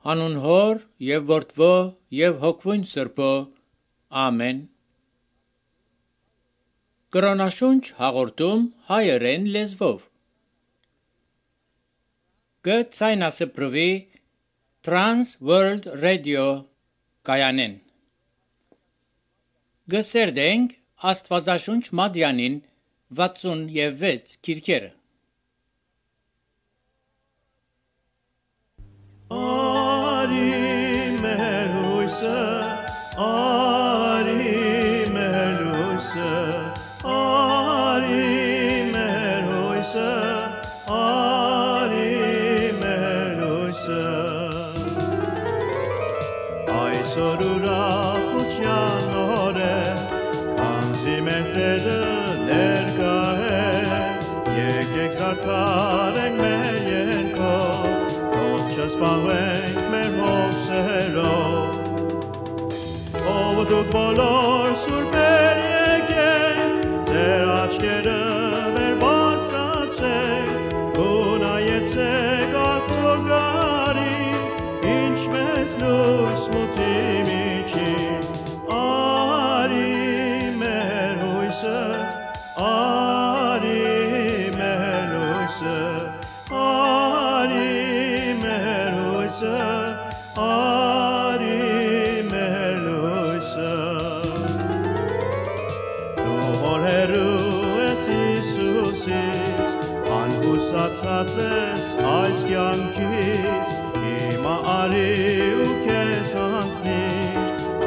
Հանուն Հոր և Որդվո և Հոգվույն Սրբո, ամեն։ Կրոնաշունչ հաղորդում հայերեն լեզվով։ Գցայնասպրվի Trans World Radio կայանեն։ Գսերդենք Աստվածաշունչ Մադյանին 66 քիրքերը։ Դուք բոլոր սուրբեր եկեք, ձեր աչքերը վեր բարձրացրեք, ու նայեցեք Աստծո գարին, ինչպես լույս մութի միջին, արի մեր հույսը, արի մեր լույսը, արի մեր հույսը, Ցածես այս կյանքից, հիմա արի ու քեզ հանձնիր,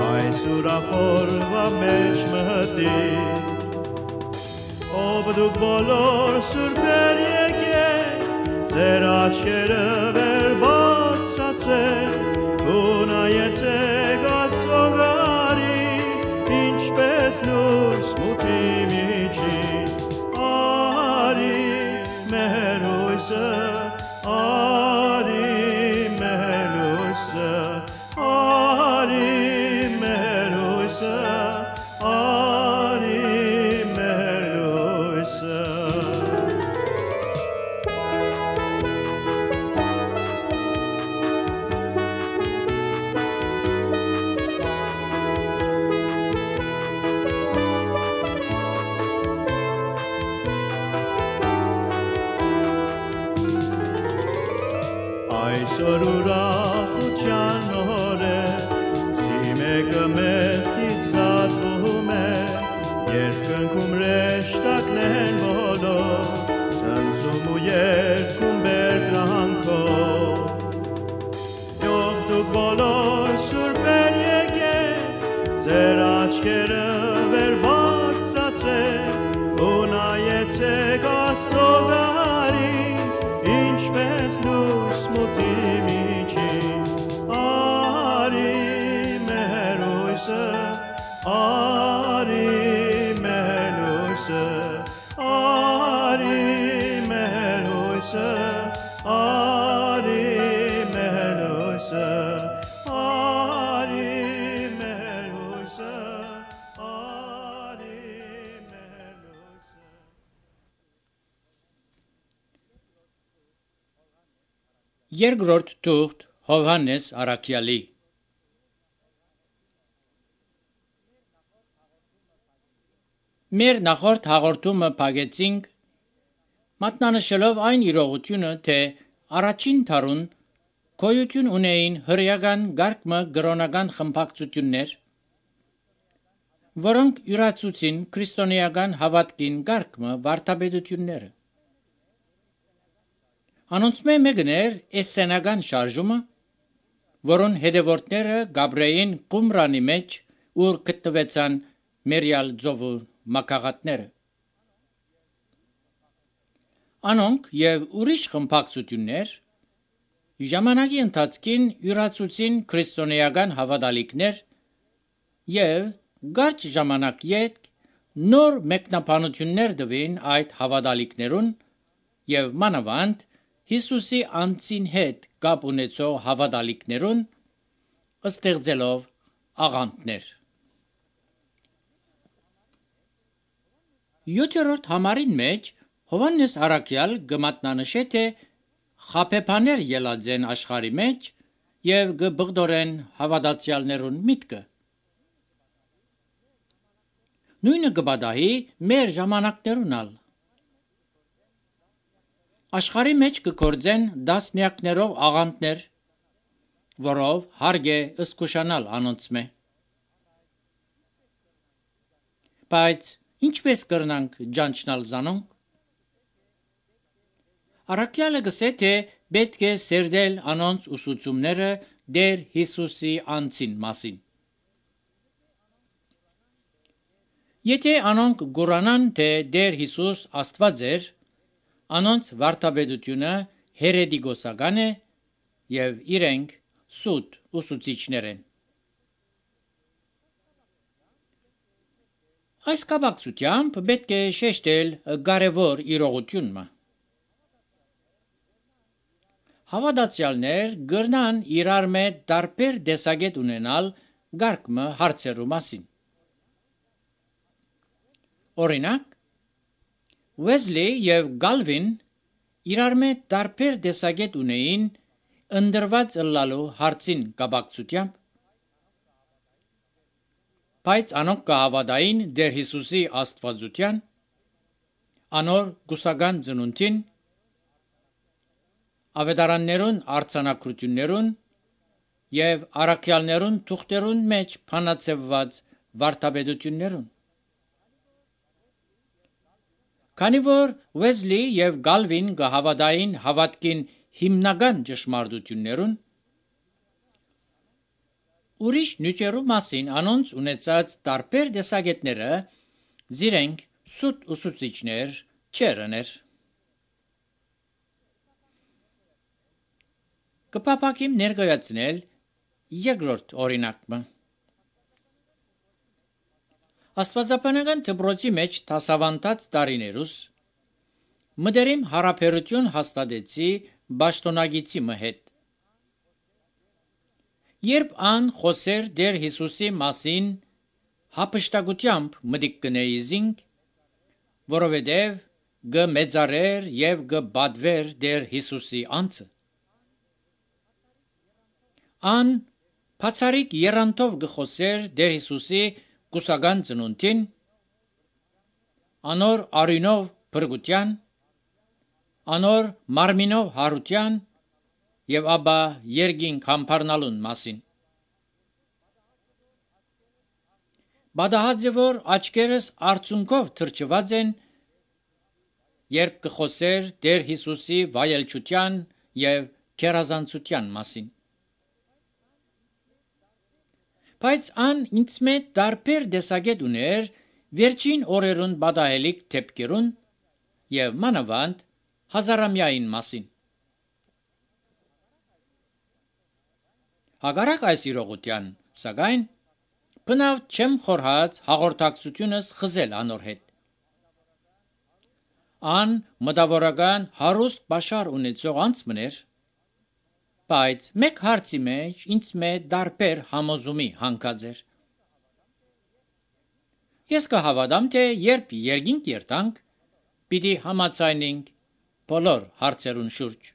այս ուրախորվա մեջ մտիր, ով դուք բոլոր սուրբեր եկեք, ձեր աչքերը վեր բարձրացրեք, ու նայեցեք Աստծո գարին, ինչպես լույս մութի միջին, արի մեր հույսը, արի մեր լույսը, արի մեր հույսը, արի մեր լույսը։ Այսօր ուրախության օր է, զիմեկը մեղքից զատվում է, երկնքում հրեշտակներն բոլոր, ցնծում ու երգում բերկրանքով։ Ով դուք բոլոր սուրբեր եկեք, ձեր աչքերը վեր բարձրացրեք, ու նայեցեք Աստծո գարին, ինչպես լույս մութի միջին, արի մեր հույսը, արի մեր լույսը, արի մեր հույսը, արի մեր լույսը, արի մեր հույսը, արի մեր լույսը։ Երկրորդ թուղթ Հովհաննես առաքյալի։ Մեր նախորդ հաղորդումը փակեցինք մատնանշելով այն իրողությունը, թե առաջին դարուն գոյություն ունեին հրեական գարկմը կրոնական խմբակցություններ, որոնք յուրացուցին քրիստոնեական հավատքին գարկմը վարդապետությունները։ Անոնցմե մեկն էր էսսենական շարժումը, որոն հետևորդները Գաբրեին Կումրանի մեջ, ուր գտնվեցան Մերիալ ծովու մակաղատները։ Անոնք եւ ուրիշ խմբակցություններ ժամանակի ընթացքին յուրացուցին քրիստոնեական հավատալիքներ եւ կարճ ժամանակ յետ նոր մեկնաբանություններ տվին այդ հավատալիքներուն եւ մանավանդ Հիսուսի անձին հետ կապ ունեցող հավատալիքներուն ստեղծելով աղանդներ։ 7-րդ համարին մեջ Հովհաննես առաքյալ գմատնանշե թե խաբեբաներ ելած են աշխարհի մեջ եւ գբղդորեն հավատացյալներուն միտքը։ Նույնը կբադահի մեր ժամանակներունալ։ Աշխարհի մեջ կգործեն դասմյակներով աղանդներ, որով հարկ է ըսկուշանալ անոնցմե։ Բայց ինչպես կրնանք ջանչնալ զանոնք։ Առաքյալը գսե թե պետք է սերդել անոնց ուսուցումները Տեր Հիսուսի անձին մասին։ Եթե անոնք գորանան թե Տեր Հիսուս Աստված էր, անոնց վարդապետությունը հերետիկոսական է եւ իրենք սուտ ուսուցիչներ են։ Այս կապակցությամբ պետք է շեշտել կարևոր իրողությունը։ Հավատացյալներ գրնան իրար մեջ տարբեր տեսակետ ունենալ գարկմը հարցերու մասին։ Օրինակ, Wesley եւ Galvin իրար մեջ տարբեր տեսակետ ունեին ընդրված ըլլալու հարցին կապակցությամբ, բայց անոնք կհավատային Տեր Հիսուսի աստվածության, անոր գուսական ծնունդին, ավետարաններուն արձանագրություններուն եւ առաքյալներուն թուղթերուն մեջ փանացված վարդապետություններուն։ Քանի որ Wesley եւ Galvin կհավատային հավատքին հիմնական ճշմարտություններուն, ուրիշ նյութերու մասին անոնց ունեցած տարբեր տեսակետները զիրենք սուտ ուսուցիչներ չերներ։ Կպապակիմ ներկայացնել երկրորդ օրինակը։ Աստվածաբանական դպրոցի մեջ դասավանդած տարիներուս մտերիմ հարաբերություն հաստատեցի պաշտոնագիտի հետ։ Երբ ան խոսեր Տեր Հիսուսի մասին հապշտակությամբ մտիկ կնեիզինք, որովհետև գմեծարեր եւ գբադվեր Տեր Հիսուսի անձը։ Ան բացարիք երանտով գխոսեր Տեր Հիսուսի գուսական ծնունդին, անոր արյունով փրկության, անոր մարմինով հարության եւ ապա երկինք համբարնալուն մասին։ Բադահաձե որ աչքերս արցունքով թրջված են, երբ կխոսեր Տեր Հիսուսի վայելչության եւ քերազանցության մասին։ Բայց ան ինձ մեծ տարբեր տեսակետ ուներ վերջին օրերուն բադահելիք դեպքերուն եւ մանավանդ հազարամյային մասին։ Հակառակ այս իրողության, սակայն բնավ չեմ խորհած հաղորդակցությունս խզել անոր հետ։ Ան մտավորական հարուստ բաշար ունեցող անձմներ, բայց մեկ հարցի մեջ ինձ մեծ տարբեր համոզումի հանգած էր։ Ես կհավատամ, թե երբ երկինք երտանք, պիտի համաձայնենք բոլոր հարցերուն շուրջ։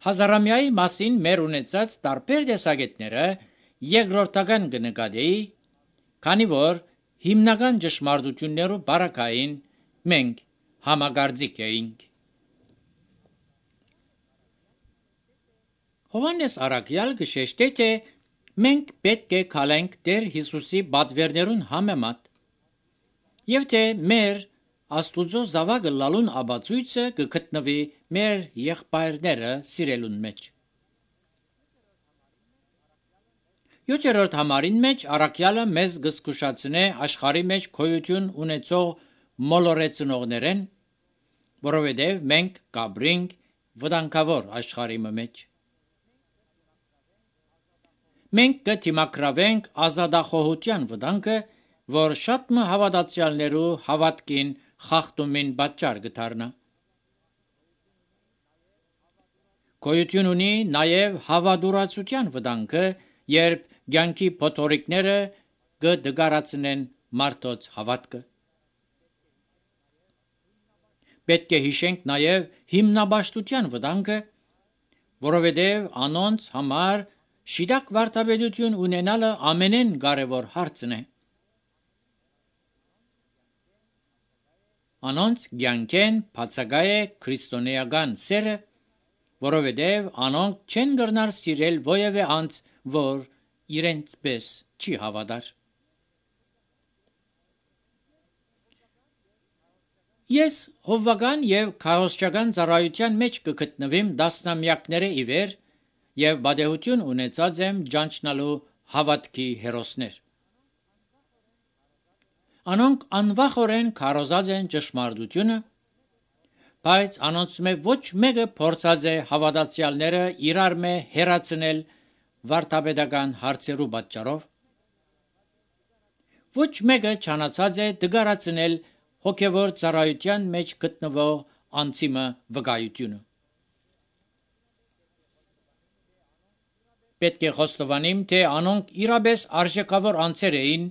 Հազարամյայի մասին մեր ունեցած տարբեր տեսակետները երկրորդական կնկատեի, քանի որ հիմնական ճշմարտություններու բարակային մենք համագործիկ էինք։ Հովհաննես առաքյալ կշեշտե, թե մենք պետք է քալենք Տեր Հիսուսի պատվերներուն համեմատ, եւ թե մեր Աստուծո զավակը լալուն ապացույցը կգտնվի մեր եղբայրները սիրելուն մեջ։ 7-րդ համարին մեջ առաքյալը մեզ կզգուշացնե աշխարհի մեջ գոյություն ունեցող մոլորեցնողներեն, որովհետև մենք կաբրինք վտանգավոր աշխարհի մեջ։ Մենք կդիմակրավենք ազատախոհության վտանգը, որ շատ հավատացյալներու հավատքին խախտումին պատճառ կդառնա։ Գոյություն ունի նաև հավատուրացության վտանգը, երբ կյանքի փոթորիկները կդգարացնեն մարդոց հավատքը։ Պետք է հիշենք նաև հիմնաբաշխության վտանգը, որովհետև անոնց համար շիդակ վարդապետություն ունենալը ամենեն կարևոր հարցն է։ Անոնց կյանքեն բացակայ է քրիստոնեական սերը, որովհետև անոնք չեն կրնար սիրել ովևէ անձ, որ իրենց պես չի հավատար։ Ես հովվական եւ քահոսչական ծառայության մեջ կգտնվեմ դասնամյակները ի վեր եւ բադեհություն ունեցած եմ ճանչնալու հավատքի հերոսներ։ Անոնք անվախորեն քարոզած են ճշմարտությունը, բայց անոնց մե ոչ մեկը փորձած է հավատացյալները իրար մե հերացնել վարդապետական հարցերու պատճառով։ Ոչ մեկը չանացած է դգարացնել հոգևոր ծառայության մեջ գտնվող անձիմը վկայությունը։ Պետք է խոստովանիմ, թե անոնք իրապես արժեքավոր անձեր էին,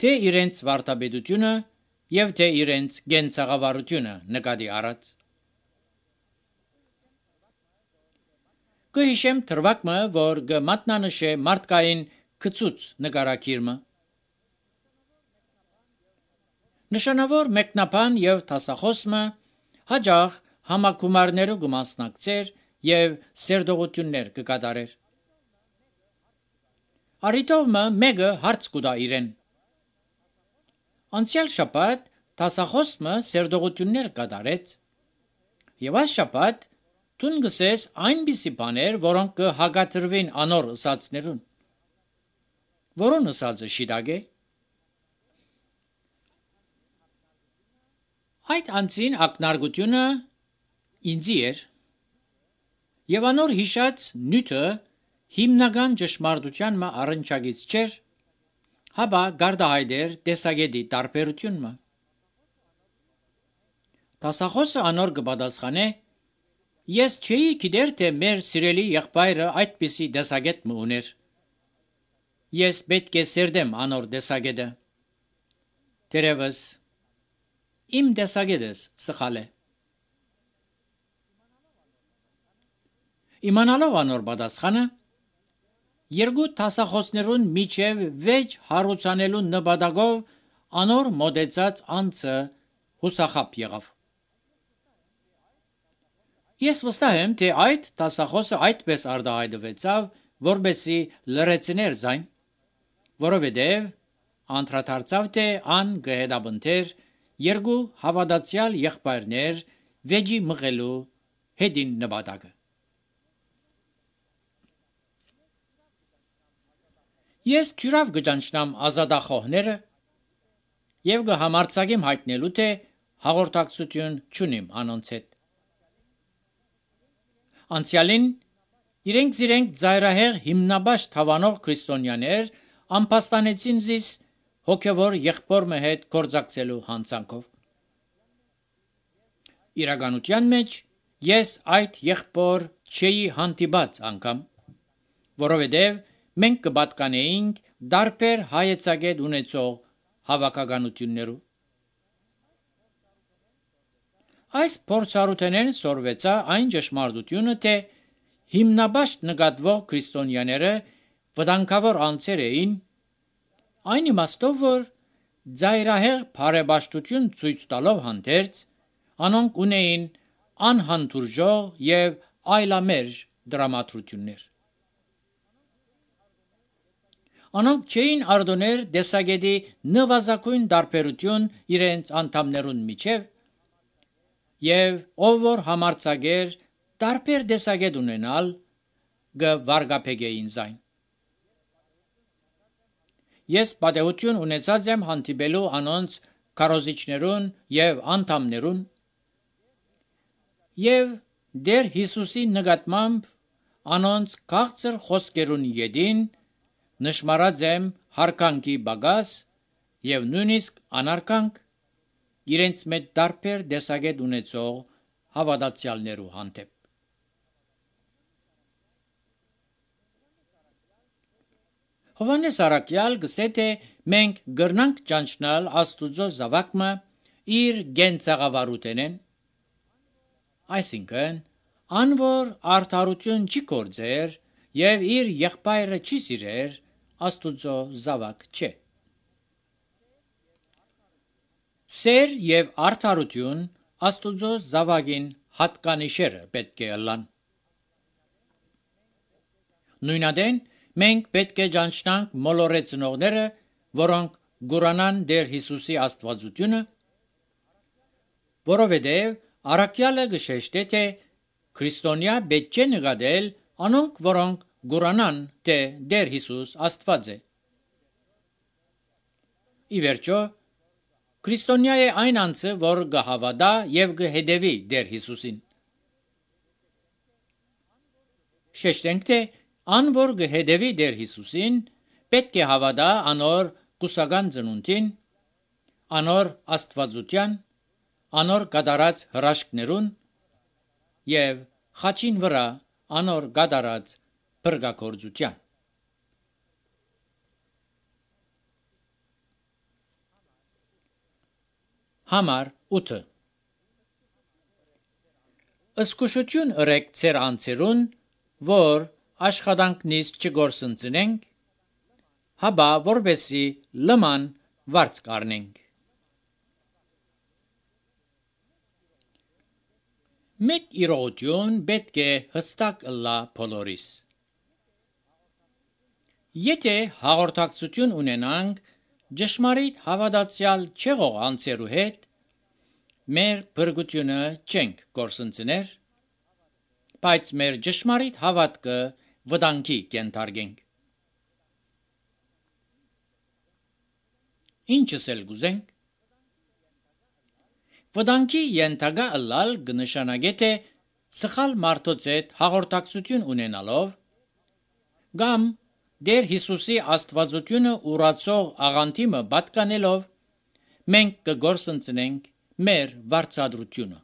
թե իրենց վարդապետությունը եւ թե իրենց գենցաղավարությունը նկատի առած։ Կհիշեմ թրվակը, որ կմատնանշե մարդկային գծուց նկարակիրը։ Նշանավոր մեկնաբան եւ դասախոսը հաջող համակումարներու կմասնակցեր եւ սերտողություններ կկատարեր։ Արիտովը մեկը հարց կուտա իրեն։ Անցյալ շաբաթ դասախոսը սերտողություններ կատարեց եւ այս շաբաթ դուն գսես այնպիսի բաներ, որոնք կհագատրվին անոր ըսածներուն։ Որոն ըսածը շիդակ է։ Այդ անձին ակնարկությունը ինձի էր եւ անոր հիշած նյութը հիմնական ճշմարտության մը առնչագից չէր, հաբա գարդահայտեր տեսագետի տարբերությունը։ Դասախոսը անոր կպատասխանե. ես չէի գիտեր, թե մեր սիրելի եղբայրը այդպիսի տեսագետ մը ուներ։ Ես պետք է սերդեմ անոր տեսագետը։ Տերևս իմ տեսագետս սխալ է։ Իմանալով անոր պատասխանը, երկու դասախոսներուն միջև վեճ հարուցանելու նպատակով անոր մոտեցած անձը հուսախապ եղավ։ Ես վստահ եմ, թե այդ դասախոսը այդպես արտահայտվեցավ, որպեսզի լրացներ ձայն, որովհետև անդրադարձավ, թե ան կհետապնդեր երկու հավատացյալ եղբայրներ վեճի մղելու հետին նպատակը։ Ես թյուրավ կճանչնամ ազատախոհները եւ կհամարձակեմ հայտնելու, թե հաղորդակցություն չունիմ անոնց հետ։ Անցյալին իրենք ծայրահեղ հիմնաբաշ թավանող քրիստոնյաներ ամփոստանեցին զիս հոգևոր եղբորմը հետ գործակցելու հանցանքով։ Իրականության մեջ ես այդ եղբոր չէի հանդիպած անգամ, որովհետև մենք կպատկանեինք դարբեր հայեցակետ ունեցող հավաքականություններու։ Այս փորձառութենեն սորվեցա այն ճշմարտությունը, թե հիմնաբաշ նկատվող քրիստոնյաները վտանգավոր անձեր էին, այն իմաստով, որ ծայրահեղ բարեպաշտություն ցույց տալով հանդերձ, անոնք ունեին անհանդուրժող եւ այլամերժ դրամատրություններ։ Անոնք չէին արդոներ տեսագետի նվազագույն տարբերություն իրենց անդամներուն միջև, եւ ով որ համարձակեր տարբեր տեսագետ ունենալ, կվարգապեգեին զայն։ Ես պատեհություն ունեցած եմ հանդիպելու անոնց քարոզիչներուն եւ անդամներուն, եւ Տեր Հիսուսի նկատմամբ անոնց քաղցր խոսքերուն յետին նշմարած եմ հարկանքի բագաս եւ նույնիսկ անարկանք իրենց մեջ տարբեր տեսագետ ունեցող հավատացյալներու հանդեպ։ Հովհաննես առաքյալ գսե թե մենք գրնանք ճանչնալ Աստուծո զավակը իր գենցաղավարութենեն, այսինքն անոր արդարություն չի կործեր եւ իր եղբայրը չի սիրեր, Աստուծո զավակ չէ։ Սեր եւ արդարություն Աստուծո զավակին հատկանիշերը պետք է ըլլան։ Նույնադեն մենք պետք է ճանչնանք մոլորեցնողները, որոնք գուրանան Տեր Հիսուսի աստվածությունը, որովհետև առաքյալը գշեշտե թե քրիստոնյա պետք է նկատել անոնք, որոնք գուրանան թե Տեր Հիսուս Աստված է։ Ի վերջո, քրիստոնյա է այն անձը, որ կհավատա եւ կհետևի Տեր Հիսուսին։ Շեշտենք թե ան որ կհետևի Տեր Հիսուսին, պետք է հավատա անոր կուսական ծնունդին, անոր աստվածության, անոր կատարած հրաշքներուն եւ խաչին վրա անոր կատարած փրկագործության։ Համար 8 Ըսկուշություն ըրեք ձեր անձերուն, որ աշխատանքնից չգործընծնենք, հաբա որբեսի լման վարձ կառնենք։ Մեկ իրողություն պետք է հստակ ըլլա բոլորիս։ Եթե հաղորդակցություն ունենանք ճշմարիտ հավատացյալ չեղող անձերու հետ, մեր փրկությունը չենք գործընծներ, բայց մեր ճշմարիտ հավատքը վտանգի կենթարկենք։ Ինչս էլ գուզենք։ Վտանգի ենթակա ըլլալ կնշանակե թե սխալ մարդոց հետ հաղորդակցություն ունենալով կամ Տեր Հիսուսի աստվածությունը ուրացող աղանդիմը պատկանելով մենք կգործընծնենք մեր վարձատրությունը։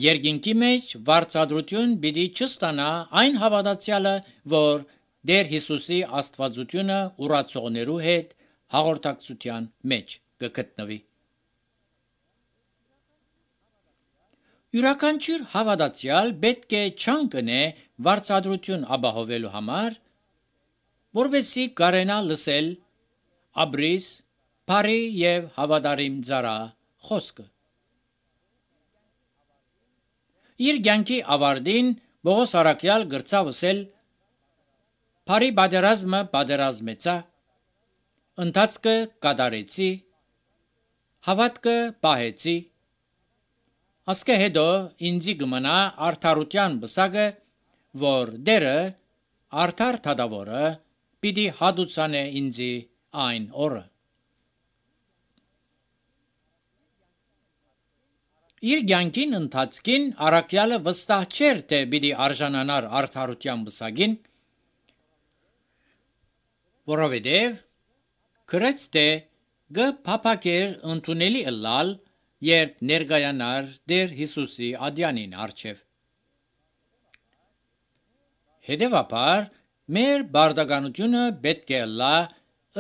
Երկինքի մեջ վարձատրություն պիտի չստանա այն հավատացյալը, որ Տեր Հիսուսի աստվածությունը ուրացողներու հետ հաղորդակցության մեջ կգտնվի։ Յուրաքանչյուր հավատացյալ պետք է չանկանե վարձատրություն ապահովելու համար, որովհետեւ կարենա լսել ապրիս, բարի եւ հավատարիմ ծառա խոսքը։ Իր կյանքի ավարտին Պողոս առաքյալ գրծավ ասել. «Բարի պատերազմը պատերազմեցա, ընթացքը կատարեցի, հավատքը պահեցի, ասկե հետո ինձի կմնա արդարության բսակը, որ Տերը արդար թադավորը պիտի հատուցանե ինձի այն օրը»։ Իր կյանքին ընթացքին առաքյալը վստահ չէր, թե պիտի արժանանար արդարության բսակին, որովհետև գրեց թե կփափակեր ընդունելի ըլլալ, երբ ներկայանար Տեր Հիսուսի ադյանին առջև։ Հետևաբար, մեր բարդականությունը պետք է ըլլա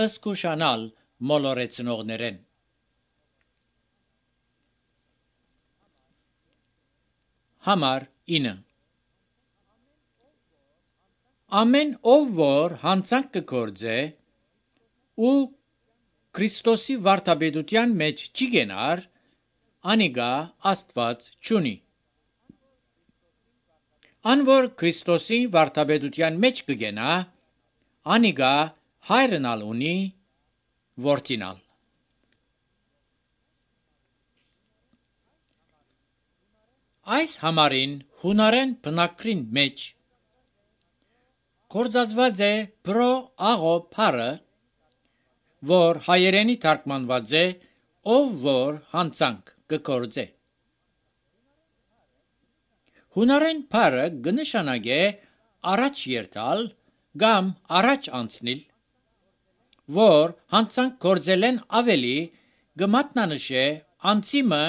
ըսկուշանալ մոլորեցնողներեն։ Համար 9 Ամեն ով որ հանցանք կգործե ու Քրիստոսի վարդապետության մեջ չի գենար, անիգա Աստված չունի։ Ան որ Քրիստոսի վարդապետության մեջ կգենա, անիգա հայրենալ ունի, որդինալ։ Այս համարին հունարեն բնակրին մեջ կործածված է բրո աղո փարը, որ հայերենի թարգմանված է ով որ հանցանք կգործե։ Հունարեն փարը կնշանակե առաջ երթալ կամ առաջ անցնել, որ հանցանք գործելեն ավելի կմատնանշե անցիմը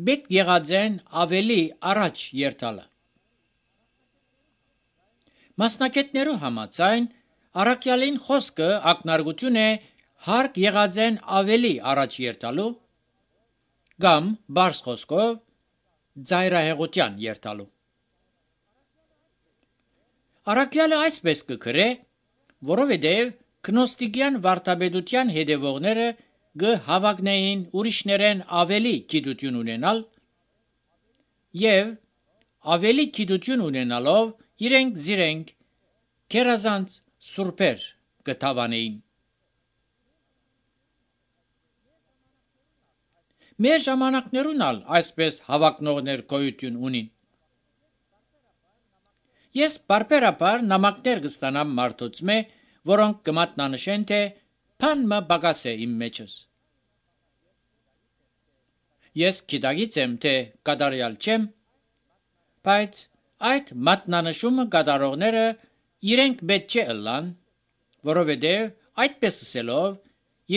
պետք եղած են ավելի առաջ երթալը։ Մասնակետներու համաձայն առաքյալին խոսքը ակնարկություն է հարկ եղած են ավելի առաջ երթալու կամ բարձ խոսքով ծայրահեղության երթալու։ Առաքյալը այսպես կգրե, որովհետև գնոստիկյան վարդապետության հետևողները կհավակնեին ուրիշներեն ավելի գիտություն ունենալ եւ ավելի գիտություն ունենալով իրենք քերազանց սուրբեր կթավանեին։ Մեր ժամանակներուն ալ այսպես հավակնողներ գոյություն ունին։ Ես բարբերաբար նամակներ կստանամ մարդուց մե, որոնք կմատնանշեն, թե բան մը բագաս է իմ մեջս։ Ես գիտակից եմ, թե կատարյալ չեմ, բայց այդ մատնանշումը կատարողները իրենք պետք չէ ըլլան, որովհետև այդպես ասելով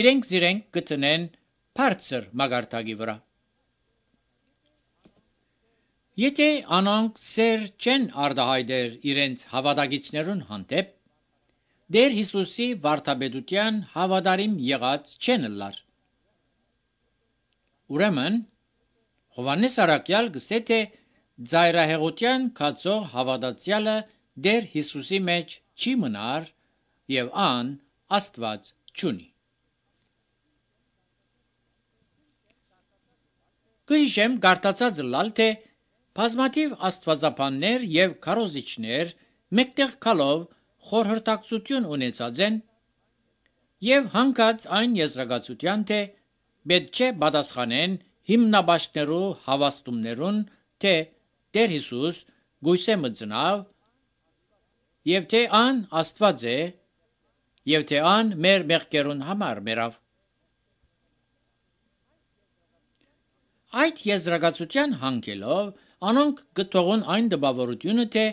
իրենք կտնեն բարձր մագարտակի վրա։ Եթե անոնք սեր չեն արտահայտեր իրենց հավատակիցներուն հանդեպ, Տեր Հիսուսի վարդապետության հավատարիմ եղած չեն ըլլար։ Ուրեմն Հովհաննես առաքյալ գսե թե ծայրահեղության կացող հավատացյալը Տեր Հիսուսի մեջ չի մնար եւ ան Աստված չունի։ Կհիշեմ գարտացած լալ թե բազմաթիվ աստվածաբաններ եւ քարոզիչներ մեկտեղ գալով խորհրդակցություն ունեցած են եւ հանգած այն եզրակացության, թե պետք չէ պատասխանեն հիմնաբաշխներու հավաստումներուն, թե Տեր Հիսուս գույսե մծնավ եւ թե ան Աստված է եւ թե ան մեր մեղքերուն համար մեռավ։ Այդ եզրակացության հանգելով անոնք կթողուն այն դպավորությունը, թե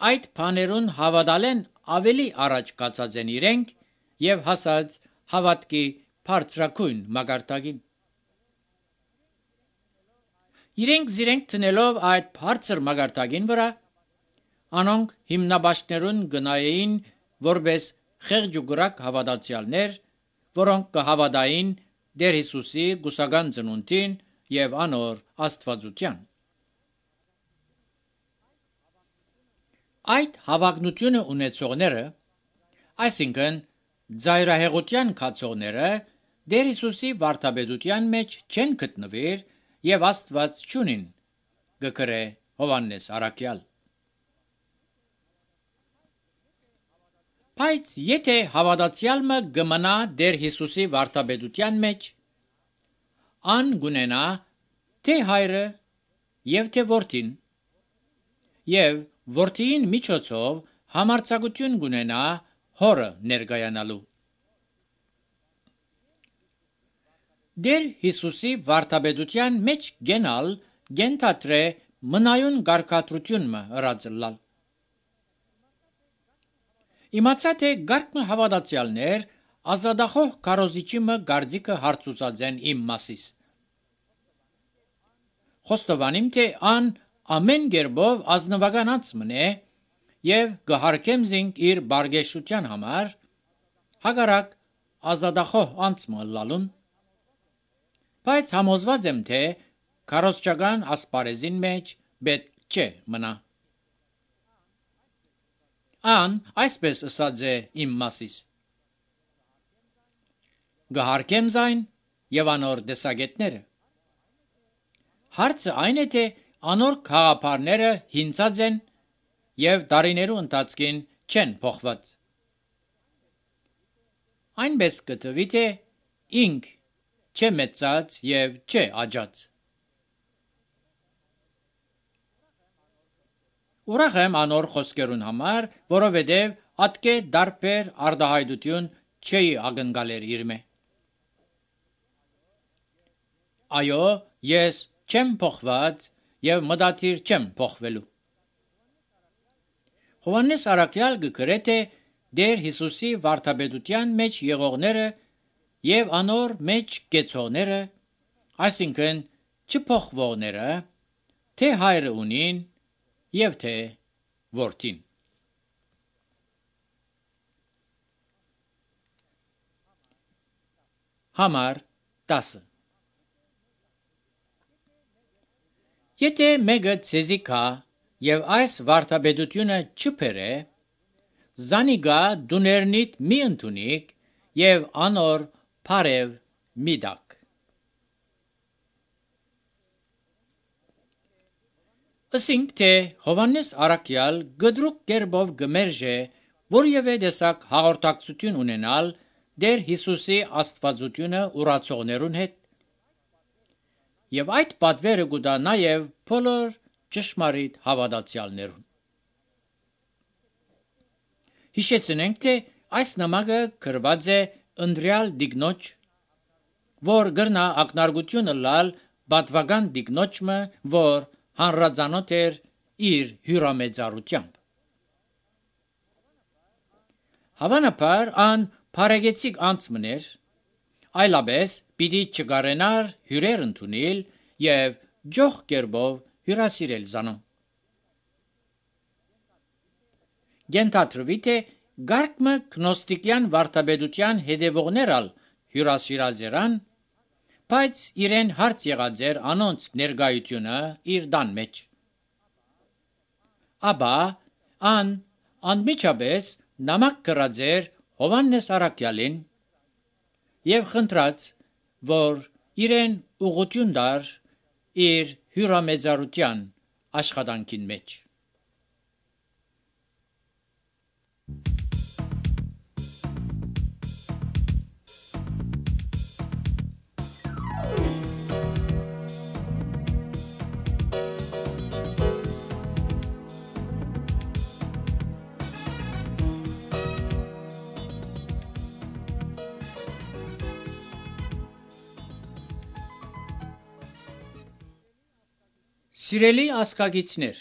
այդ բաներուն հավատալեն ավելի առաջ կացած են իրենք եւ հասած հավատքի բարձրակույն մագարտակին։ Իրենք տնելով այդ բարձր մագարտակին վրա, անոնք հիմնաբաշխներուն գնային որպես խեղճուկրակ հավատացյալներ, որոնք կհավատային Տեր Հիսուսի գուսական ծնունդին եւ անոր աստվածության։ Այդ հավակնությունը ունեցողները, այսինքն ծայրահեղության կացողները, Տեր Հիսուսի վարդապետության մեջ չեն գտնվիր եւ Աստված չունին, գկրե Հովհաննես առաքյալ։ Բայց եթե հավատացյալը գմնա Տեր Հիսուսի վարդապետության մեջ, ան գունենա թե հայրը եւ թե որդին, եւ որդին միջոցով համարձակություն գունենա հորը ներկայանալու։ Տեր Հիսուսի վարդապետության մեջ գենալ գենթատրե մնայուն գարկատրություն մը հրածլալ։ Իմացա թե գարկմը հավատացյալներ ազատախոհ կարոզիչի մը գարձիկը հարցուցած են իմ մասիս։ Խոստովանիմ, թե ան ամեն գերբով ազնվականած մնե եւ գհարկեմ զինք իր բարգեշության համար, հագարակ ազատախոհ անցմը լալուն, բայց համոզված եմ, թե կարոզչական ասպարեզին մեջ պետք չէ մնա։ Ան այսպես ըսած է իմ մասիս. գհարկեմ զայն եւ անոր դեսագետները։ Հարցը այն է, թե անոր խաղապարները հինցած են եւ տարիներու ընթացքին չեն փոխված։ Այնպես կտվի, թե ինք չէ մեծած եւ չէ աճած։ Ուրախ եմ անոր խոսքերուն համար, որովհետեւ ատկե դարբեր արտահայտություն չի ակնկալեր իր մե։ Այո, ես չեմ փոխված եւ մտադիր չեմ փոխվելու։ Հովհաննես առաքյալ գկրե թե Տեր Հիսուսի վարդապետության մեջ եղողները եւ անոր մեջ գեցողները, այսինքն չփոխվողները, թե հայրը ունին եւ թե որդին։ Համար 10 Եթե մեկը ցեզի կա եւ այս վարդապետությունը չփերե, զանիգա դուներնիդ մի ընդունիք եւ անոր բարև մի դակ։ Ասինք թե Հովանես Արաքյալ գդրուկ կերպով գմերժե որևէ տեսակ հաղորդակցություն ունենալ Տեր Հիսուսի աստվածությունը ուրացողներուն հետ, եւ այդ պատվերը կուտա նաեւ բոլոր ճշմարիտ հավատացյալներուն։ Հիշեցնենք, թե այս նամակը գրված է ընտրյալ դիգնոջ, որ գրնա ակնարկությունը լալ պատվական դիգնոջը, որ հանրազանոթ էր իր հյուրամեծարությամբ։ Հավանաբար ան բարեգեցիկ անցմներ, այլապես պիտի չգարենար հյուրեր ընդունել եւ ջող կերպով հյուրասիրել զանոն։ Գենթադրվի թե գարկմը գնոստիկյան վարդապետության հետևողներալ հյուրասիրազերան, բայց իրեն հարց եղած էր անոնց ներկայությունը իր դան մեջ։ Աբա ան անմիջապես նամակ գրած էր Հովանես Արաքյալին եւ խնդրած, որ իրեն ուղղություն տար իր հյուրամեծարության աշխատանքին մեջ։ Սիրելի ասկագիցներ,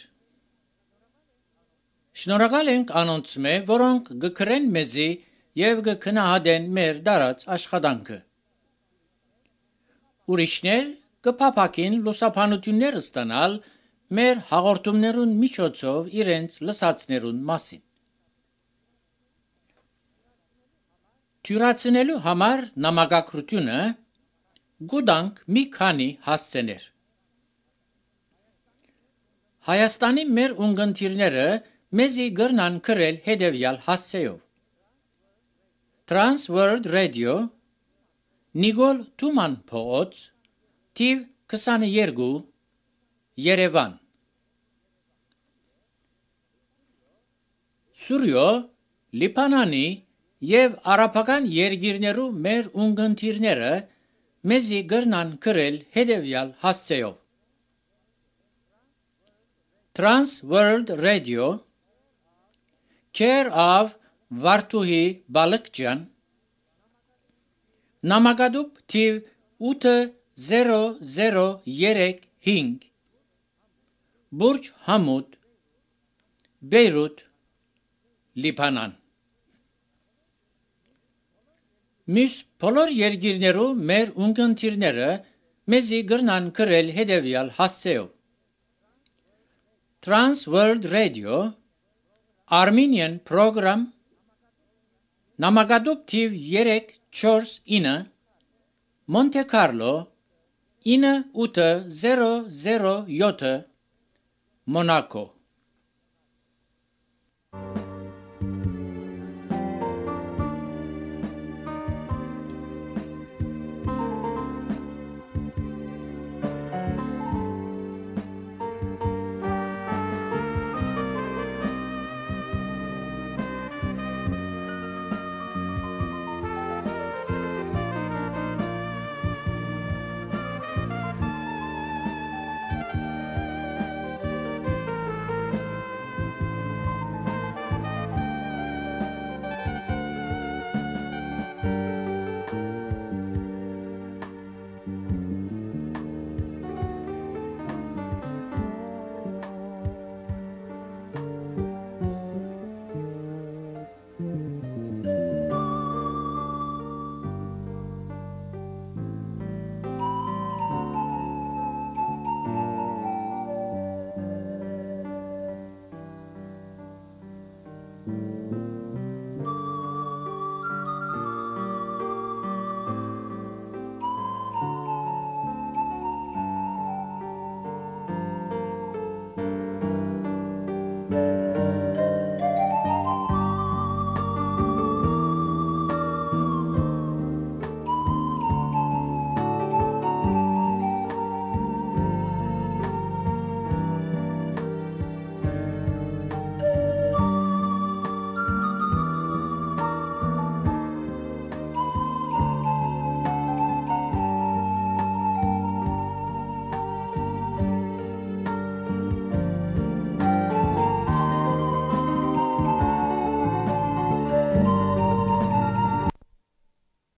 շնորհակալ ենք անոնց մե, որոնք գկրեն մեզի եւ գքնահատեն մեր դարած աշխատանքը։ Ուրիշներ կփափակին լուսաբանություններ ստանալ մեր հաղորդումներուն միջոցով իրենց լսածներուն մասին։ Թյուրացնելու համար նամակագրությունը գուտանք մի քանի հասցեներ։ Հայաստանի մեր ունգընտիրները մեզի գրնան գրել հետևյալ հասցեով. Trans World Radio, Նիկոլ Թուման փողոց, թիվ 22, Երևան։ Սուրյո, Լիբանանի եւ արաբական երկիրներու մեր ունգընտիրները մեզի գրնան գրել հետևյալ հասցեով. Trans World Radio, Care of Վարդուհի Բալկջյան, Նամակադուբ թիվ 8035, Բուրջ Համուդ, Բեյրութ, Լիբանան։ Մյուս բոլոր երկիրներու մեր ունգընտիրները մեզի գրնան գրել հետևյալ հասցեով. Trans World Radio, Armenian Program, Նամակադուբ թիվ 349, Monte Carlo, 9807, Monaco։